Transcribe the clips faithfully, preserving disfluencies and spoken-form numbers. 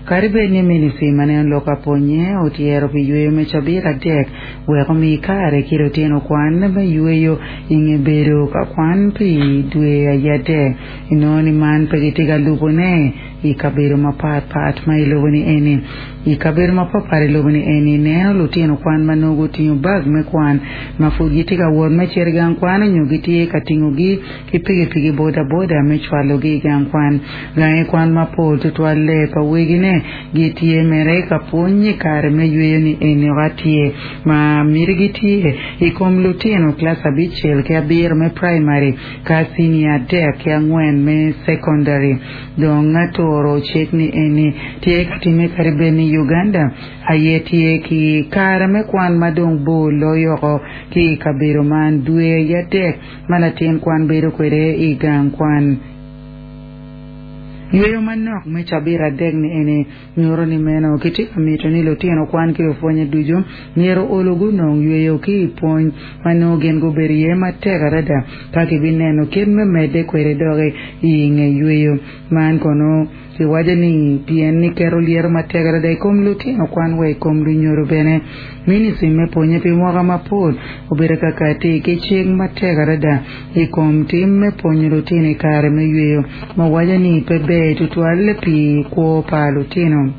Kadi bed ni ministry ma neno lok aponye otyero pi yweyo me cabit adek wek omi kare ki lutino kwan me yweyo i nge bedo ka kwan pi dwe adek inongo ni man pe gitye ka lubone i kabedo mapatpat ma i lobo ni eni i kabedo mapatpat i lobo ni eni neno lutino kwan ma nongo gutingo bag me kwan ma pud gitye ka wot me cito i gang kwan nyo gitye ka tingogi ki pikipiki bodaboda me cwalogi i gang kwan gangi kwan mapol tutwalle pa wegine gitye mere ka pwony i kare me yweyo ni eni ok atye ma mitigi tye i kom lutino kilac abicel ki abiro me primary ka senior adek ki angwen me secondary dong aturo cik ni eni tye ka time kadi bed ni Uganda aye tye ki kare me kwan ma dong bor loyo oko ki i kabedo man dwe adek ma latin kwan bedo kwede i gang kwan yweyo manok me cabit adek ni eni nyuto ni meno kitye ka mito ni lutino kwan ki lupwonye ducu myero olo gunong yweyo ki i pwony ma nongo gin gubedo iye matek adada ka kibineno kit me medde kwede doki i nge yweyo man kono kiwaco ni pien ni keto lyeto matek adada i kom lutino kwan wa i kom lunyodo bene ministry me pwonye pi mwaka mapol obedo ka kati ki cik matek adada i kom tim me pwonyo lutino i kare me yweyo ma waco ni pe ber tutwal pi kwo pa lutino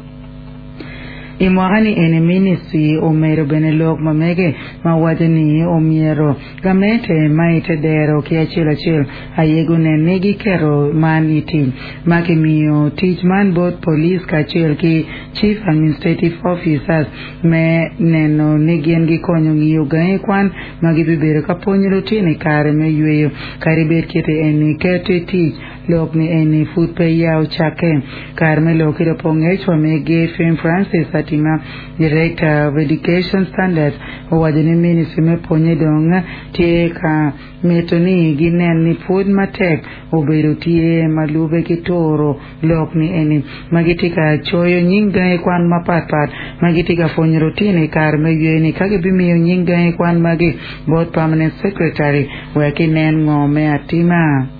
i mwaka ni eni ministry omedo bene lok ma mege ma waco ni omyero gamente ma ite dero ki acel acel aye gunen ni giketo man i tic ma kimiyo tic man bot police kacel ki chief administrative officers me neno ni gin gikonyo ng'iyo gangi kwan ma gibibedo ka pwonyo lutino i kare me yweyo kadi bed kiti eni keto i tic lok ni eni pud pe ya ocakke kare me lok ki dong ngec wa mege Fame Francis Atima Director of Education Standards owaco ni ministry me pwonye dong tye ka mito ni ginen ni pwod matek obedo tye ma lube ki turo lok ni eni ma gitye ka coyo nying gangi kwan mapatpat ma gitye ka pwonyo lutino i kare me yweyo ni ka gibimiyo nying gangi kwan magi bot permanent secretary wek inen ngo me atima.